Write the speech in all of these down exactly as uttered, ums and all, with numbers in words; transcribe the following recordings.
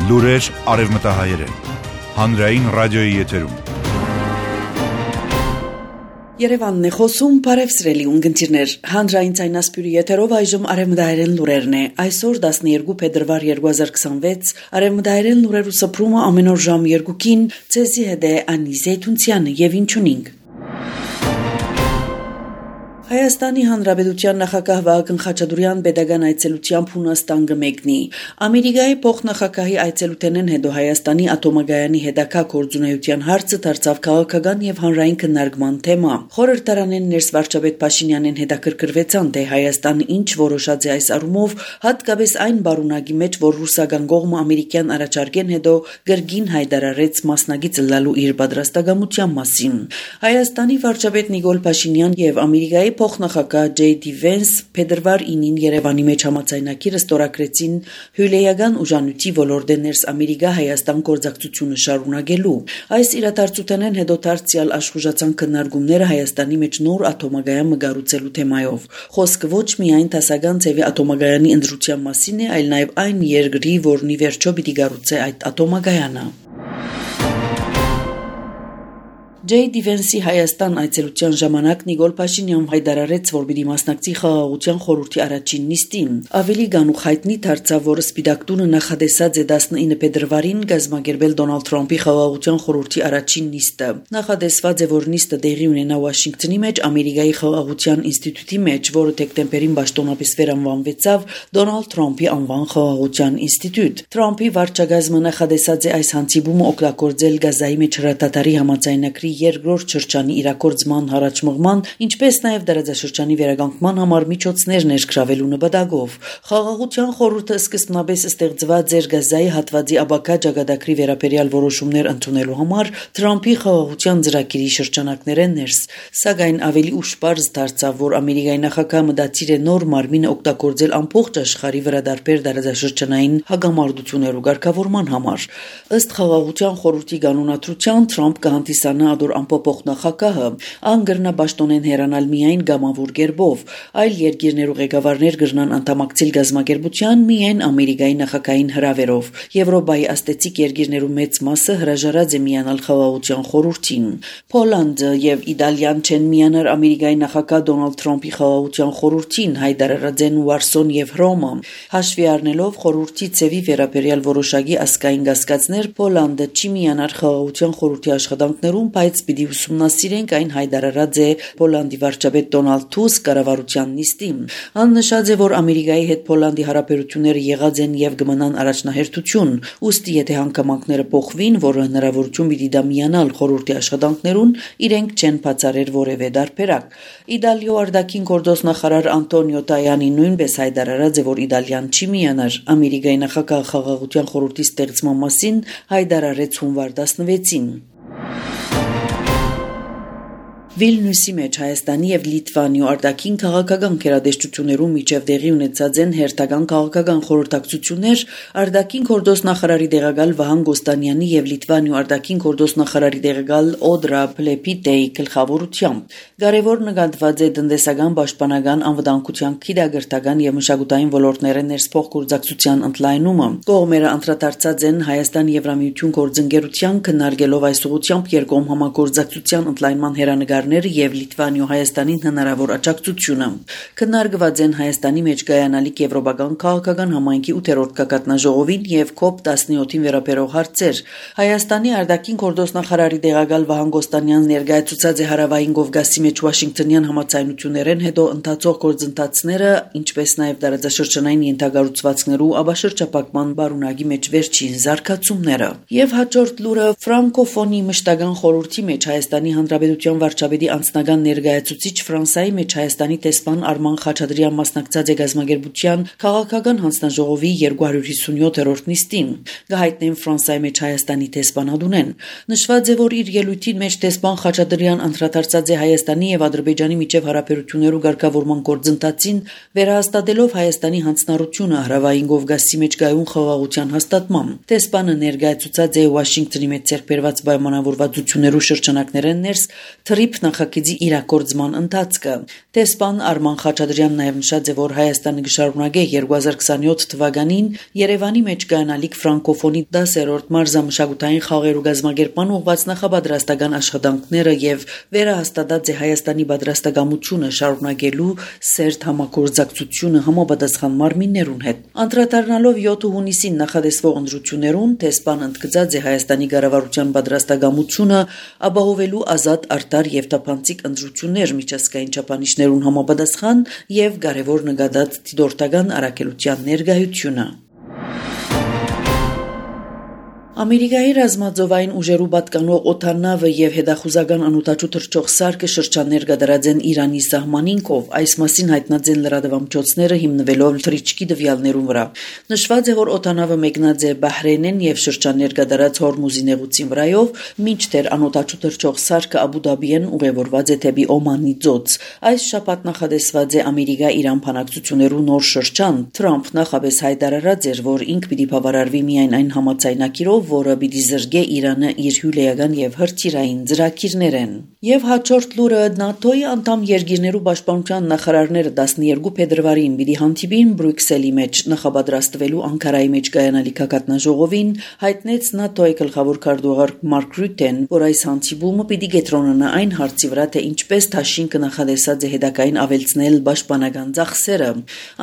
Լուրեր արևմտահայերեն, հանրային ռադիոյի եթերում։ Երևանն է խոսում, բարև սիրելի ունկնդիրներ, հանրային ցայնասպյուրի եթերով այժմ արևմտահայերեն լուրերն է։ Այսօր տասներկու փետրվար երկու հազար քսանվեց, արևմտահայերեն լուրերու սփռումը ամեն օր ժամ երկուին, ցեզի հետ է Անի Զեյթունցյանը եւ ինչունինք։ Հայաստանի Հանրապետության նախագահ Վահագն Խաչատուրյան pedagogan այցելությամբ Հունաստան կմեկնի։ Ամերիկայի փոխնախագահի այցելութենեն հետո Հայաստանի ատոմագայանի հետագա գործունեության հարցը դարձավ քաղաքական եւ հանրային քննարկման թեմա։ Խորհրդարանեն ներս վարչապետ Փաշինյանեն հետաքրքրվեցան, թե Հայաստանը ինչ որոշած է այս առումով, հատկապես այն բարունակի մեջ, որ ռուսական կողմը ամերիկյան առաջարկեն հետո գրգին հայտարարեց մասնագիծ լալու իր պատրաստակամության մասին։ Հայաստանի վարչապետ Նիկոլ Փաշինյան եւ Ամերիկայի փոխնախագահ Ջեյ Դի Վենս փետրվար ինին Երևանի մեջ համաձայնագիրը ստորագրեցին հյուրեական ուժանույթի ոլորտի ներս Ամերիկա-Հայաստան գործակցությունը շարունակելու։ Այս իրադարձությունեն հետո դարձյալ աշխուժացան քննարկումները Հայաստանի մեջ նոր ատոմագայան մգարուցելու թեմայով։ Խոսքը ոչ միայն դասական ձևի ատոմագայանի ընտրության մասին է, այլ նաև այն երկրի, որն ի վերջո պիտի գառուցե այդ ատոմագայանը։ Ջեյ Դի Վենսի Հայաստան այցելության ժամանակ Նիկոլ Փաշինյան հայտարարեց, որ պիտի մասնակցի խաղաղության խորհրդի առաջին նիստին։ Ավելի գանուխ հայտնի դարձավ, որ Սպիտակ տունը նախադեсած է տասնինը փետրվարին կազմակերպել Դոնալդ Թրամփի խաղաղության խորհրդի առաջին նիստը։ Նախադեсված է, որ նիստը տեղի ունենա Վաշինգտոնի մեջ Ամերիկայի խաղաղության ինստիտուտի մեջ, որը դեկտեմբերին պաշտոնապես վերանվանվեցավ Դոնալդ Թրամփի անվան խաղաղության ինստիտուտ։ Թրամփի վարչակազմը նախադեсած է այս հանդիպումը օգտագործել Գազայի մեջ հրատատարի համաձայնագրի երկրորդ շրջանի իրակորձման հարաճմղման, ինչպես նաև դարաձաշրջանի վերականգնման համար միջոցներ ներգրավելու նպատակով։ Խաղաղության խորհուրդը սկզբնապես ստեղծված էր Գազայի հատվածի ապակա ճակատագրի վերաբերյալ որոշումներ ընդունելու համար Թրամփի խաղաղության ծրագիրի շրջանակներեն ներս, սակայն ավելի ուշ պարզ դարձավ, որ Ամերիկայի նախագահը մտածիր է նոր մարմինը օգտագործել ամբողջ աշխարհի վրա դարբեր դարաձաշրջանային հագամարտություններու ղեկավարման համար։ Ըստ խաղաղության խորհրդի կանոնադրության Թրամփ կհանդիսանա ամփոփող նախագահը անգրնա պաշտոնեն հեռանալ միայն գամավոր կերպով, այլ երկիրներու ղեկավարներ կրնան անդամակցել գազམ་ակերպության միայն Ամերիկայի նախագահային հրավերով։ Եվրոպայի աստեցիկ երկիրներու մեծ մասը հրաժարած է միանալ խաղաղության խորհրդին։ Պոլանդը եւ Իտալիան չեն միանար Ամերիկայի նախագահ Դոնալդ Թրամփի խաղաղության խորհրդին, հայտարարած են Վարսոն եւ Հռոմը։ Հաշվի առնելով խորհրդի ծևի վերաբերյալ որոշակի ասկային կասկածներ, Պոլանդը չի միանար խաղաղության խորհրդի աշխատանքներում, բայց պիտի ուսումնասիրենք այն հայտարարած է Պոլանդի վարչապետ Դոնալդ Թուսկ կառավարության նիստին։ Աննշած է, որ Ամերիկայի հետ Պոլանդի հարաբերությունները եղած են եւ կմնան առաջնահերթություն, ուստի եթե հանգամանքները փոխվին, որը հնարավորություն պիտի դա միանալ խորհրդի աշխատանքներուն, իրենք չեն բացառեր որևէ դարբերակ։ Իտալիո արտաքին գործ նախարար Անտոնիո Տայանի նույնպես հայտարարած է, որ Իտալիան չի միանար Ամերիկայի նախագահ խաղաղության խորհրդի ստեղծման մասին հայտարարեց հունվար տասնվեցին։ Վիլնյուսի մեջ Հայաստանի եւ Լիտվանիո արտաքին քաղաքական քերադեշտություններու միջև տեղի ունեցած են հերթական քաղաքական խորհրդակցություններ արտաքին գործ նախարարի դեղակալ Վահան Գոստանյանի եւ Լիտվանիո արտաքին գործ նախարարի դեղակալ Օդրա Պլեպիտեի գլխավորությամբ։ Կարևոր նկատված է տնտեսական, պաշտպանական, անվտանգության, գիտագործական եւ մշակութային ոլորտներեն ներսփող գործակցության ընդլայնումը։ Կողմերը անդրադարձած են Հայաստան-Եվրամիություն գործընկերության քննարկելով այս ուղղությամբ երկկողմ համագործակցության ընդլայնման հերանեկար եւ Լիտվանիո Հայաստանին հնարավոր աջակցությունը։ Քննարկված են Հայաստանի մեջ կայանալիք եվրոպական քաղաքական համայնքի ութերորդ կակատնաժողովին եւ կոպ տասնյոթին վերաբերող հարցեր։ Հայաստանի արտաքին գործ նախարարի դեղակալ Վահան Գոստանյանն ներկայացուցած է հարավային Կովկասի մեջ Վաշինգտոնյան համաձայնություններեն հետո ընթացող գործընթացները, ինչպես նաեւ դարաձաշրջանային ենթակառուցվածքներու աբաշրջապակման բարունակի մեջ վերջին զարգացումները։ Եվ հաջորդ լուրը ֆրանկոֆոնի մշտական խորհրդի մեջ Հայաստանի Հանրապետության վարչապետի անձնական ներկայացուցիչ Ֆրանսիայի մեջ Հայաստանի տեսփան Արման Խաչատրյան մասնակցած է գազམ་ակերպության քաղաքական հանձնաժողովի երկու հարյուր հիսունյոթերորդ նիստին։ Գահիտնեն Ֆրանսիայի մեջ Հայաստանի տեսփանադունեն։ Նշված է, որ իր ելույթին մեջ տեսփան Խաչատրյան անդրադարձած է Հայաստանի եւ Ադրբեջանի միջև հարաբերություններու ղեկավարման գործընթացին, վերահաստատելով Հայաստանի հանձնառությունը հարավային Կովկասի մեջ գայուն խաղաղության հաստատման։ Տեսփանը ներկայացուցած է Վաշինգտոնի մեջ ձեռքբերված պայմանավորվածություններու շրջանակներեն ներս թրիփ նախագծի իրագործման ընթացքը։ Տեսփան Արման Խաչատրյանն նաև նշած է, որ Հայաստանը կշարունակի երկու հազար քսանյոթ թվականին Երևանի մեջ կայանալիք ֆրանկոֆոնի դասերորդ մարզամշակութային խաղերու գազմագերման ուղղված նախապատրաստական աշխատանքները եւ վերահաստատած է Հայաստանի պատրաստակամությունը շարունակելու սերտ համագործակցությունը համապատասխան մարմիններուն հետ։ Անդրադառնալով յոթ հունիսին նախադեсվող ընտրություններուն տեսփան ընդգծած է Հայաստանի կառավարության պատրաստակամությունը ապահովելու ազատ, արդար եւ տափանցիկ ընտրություններ միջազգային չափանիշներուն համապատասխան եւ կարեւոր նկատած դիտորդական առաքելության ներկայությունը։ Ամերիկայի ռազմաձովային ուժերու պատկանող օդանավը եւ հետախուզական անօդաչու թռչող սարքը շրջաններ կդրած են Իրանի սահմանին կով, այս մասին հայտնած են լրատվամիջոցները հիմնվելով թռիչքի տվյալներուն վրա։ Նշված է, որ օդանավը մեկնած է Բահրեյնեն եւ շրջաններ կդրած Հորմուզի նեղուցին վրայով, մինչդեռ անօդաչու թռչող սարքը Աբու Դաբիեն ուղևորված է դեպի Օմանի ծոց։ Այս շաբաթ նախադեсված է Ամերիկա-Իրան բանակցություններու նոր շրջան։ Թրամփ նախապես հայտարարած էր, որ ինք պիտի բավարարվի միայն այն համաձայնագիրով, որը պիտի զրկե Իրանը իր հյուրեական եւ հրթիռային ծրագիրներեն։ Եվ հաջորդ լուրը ՆԱՏՕ-ի անդամ երկիրներու պաշտպանության նախարարները տասներկու փետրվարին պիտի հանդիպին Բրյուսելի մեջ նախապատրաստվելու Անկարայի մեջ կայանալիք հակատնաժողովին, հայտնեց ՆԱՏՕ-ի գլխավոր քարտուղար Մարկ Ռյուտեն, որ այս հանդիպումը պիտի կենտրոնանա այն հարցի վրա, թե ինչպես Թաշինքը նախադեсած է հետագային ավելցնել պաշտպանական ծախսերը։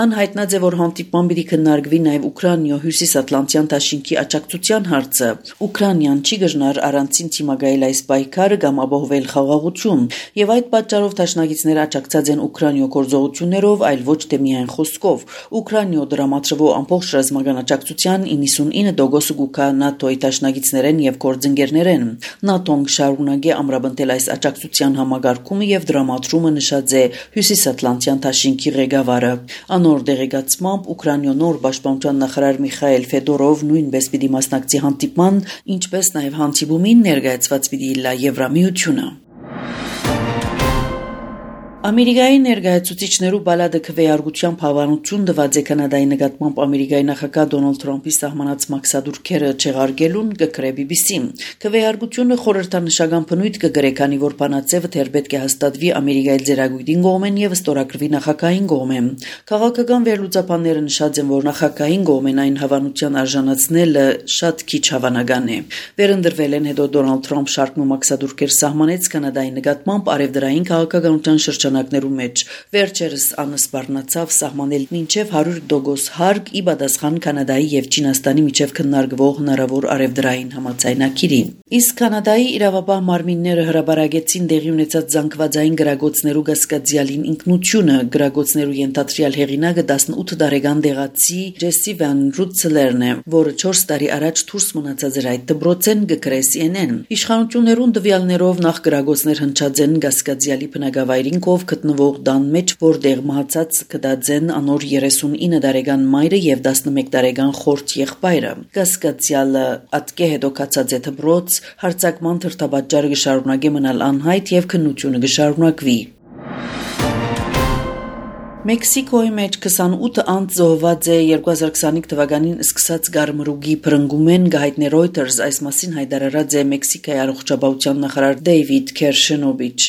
Ան հայտնած է, որ հանդիպման պիտի քննարկվի նաեւ Ուկրաինա հյուսիսատլանտյան Թաշինքի աջակցության հարցը։ Ուկրաինան չի գժնար առանցին թիմագայել այս պայքարը կամ ապահովել խաղաղություն, եւ այդ պատճառով դաշնակիցները աջակցած են Ուկրաինա գործողություններով, այլ ոչ թե միայն խոսքով։ Ուկրաինա դրամատրվող ամբողջ ռազմական աջակցության իննսունինը տոկոսը կուքա ՆԱՏՕ-ի դաշնակիցներեն եւ գործընկերներեն։ ՆԱՏՕ-ն շարունակի ամրապնդել այս աջակցության համագարկումը եւ դրամատրումը, նշած է հյուսիսատլանտյան Թաշինքի ղեկավարը։ Անոր դեղեկացմամբ Ուկրաինա նոր պաշտպանության նախարար Միխայել Ֆեդորով նույնպես պիտի մասնակցի հանդիպման, ինչպես նաև հանդիպումին ներկայացված պիտի լա Եվրամիությունը։ Ամերիկայի ներկայացուցիչներու բալադը քվեարկությամբ հավանություն տված է Կանադայի նկատմամբ Ամերիկայի նախագահ Դոնալդ Թրամփի սահմանած մաքսադուրքերը չեղարկելուն, կգրե բի բի սի-ն։ Քվեարկությունը խորհրդանշական բնույթ կգրե, քանի որ բանաձևը դեռ պետք է հաստատվի Ամերիկայի ձեռագույտին կողմեն եւ ստորագրվի նախագահային կողմեն։ Քաղաքական վերլուծաբանները նշած են, որ նախագահային կողմեն այն հավանության արժանացնելը շատ քիչ հավանական է։ Վերընտրվել են հետո Դոնալդ Թրամփ շարք մաքսադուրքեր սահմանեց Կանադայի նկատմամբ արևդրային քաղաքականության շրջան մեջ վերջերս անսպառնացավ սահմանել մինչև հարյուր տոկոս հարկ ի պատասխան Կանադայի եւ Չինաստանի միջև քննարկվող հնարավոր արևդրային համաձայնագիրի։ Իսկ Կանադայի իրավապահ մարմինները հրաբարագեցին տեղի ունեցած զանգվածային գրագոցներու գասկածյալին ինքնությունը։ Գրագոցներու ենթադրյալ հեղինակը տասնութ տարեկան դեղացի Ջեսի Վան Ռուտսլերն է, որը չորս տարի առաջ դուրս մնացած էր այդ դպրոցեն, գկրե սի են են։ Իշխանություններուն տվյալներով նախ գրագոցներ հնչած են գասկածյալի բնակավայրին կով գտնվող տան մեջ, որտեղ մահացած կդածեն անոր երեսունինը տարեկան մայրը եւ տասնմեկ տարեկան խորտ եղբայրը։ Գասկածյալը ատկե հետո կացած է դպրոց, հարձակման թրթապաճառը կշարունակի մնալ անհայտ եւ քննությունը կշարունակվի։ Մեքսիկոյի մեջ քսանութ անձ զոհված է երկու հազար քսանինը թվականին սկսած գարմրուգի բռնկումեն գահիտնե Reuters այս մասին հայտարարած է Մեքսիկայի առողջապահության նախարար Դեյվիդ Քերշենովիչ։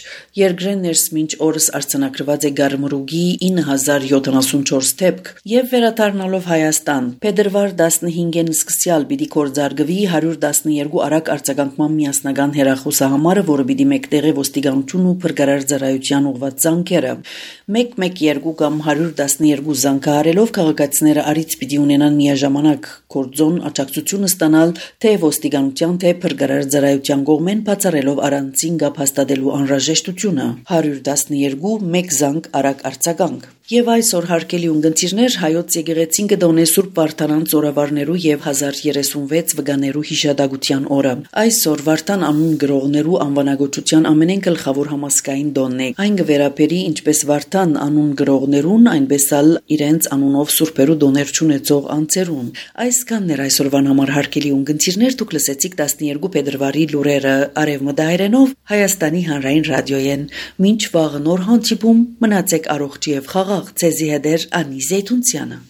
Երկրեն ներս մինչ օրս արձանագրված է գարմրուգի ինը հազար յոթանասունչորս դեպք եւ վերադառնալով Հայաստան փետրվար տասնհինգին սկսյալ պիտի կորզարկվի հարյուր տասներկու արագ արձագանքման միասնական հեռախոսահամարը, որը պիտի մեկտեղի ոստիկանություն ու փրկարար ծառայության ուղղված զանգերը։ մեկ մեկ երկու կամ հարյուր տասներկու զանգահարելով քաղաքացիները առիթ պիտի ունենան միաժամանակ կորձոն աջակցությունը ստանալ թե ոստիկանության թե փրկարար ծառայության կողմեն բացառելով առանցին գապ հաստատելու անհրաժեշտությունը։ հարյուր տասներկու մեկ զանգ արագ արձագանք։ Եվ այսօր հարգելի ունգընտիրներ, հայոց եկեղեցին կդոնե Սուրբ Վարդանան ծորավարներու եւ հազար երեսունվեց վկաներու հիշատակության օրը։ Այսօր Վարդան անուն գրողներու անվանագոչության ամենեն գլխավոր համասկային տոնն է։ Այն կվերապերի ինչպես Վարդան անուն գրողներուն, այնպես ալ իրենց անունով սուրբերու դոներ չունեցող անձերուն։ Այսքանն էր այսօրվան համար հարգելի ունգընտիրներ, դուք լսեցիք տասներկու փետրվարի լուրերը արևմտահայերենով Հայաստանի հանրային ռադիոյեն։ Մինչ վաղը նոր հանդիպում, մնացեք առողջ եւ խաղաղ, ցեզի հետ էր Անի Զեյթունցյանը։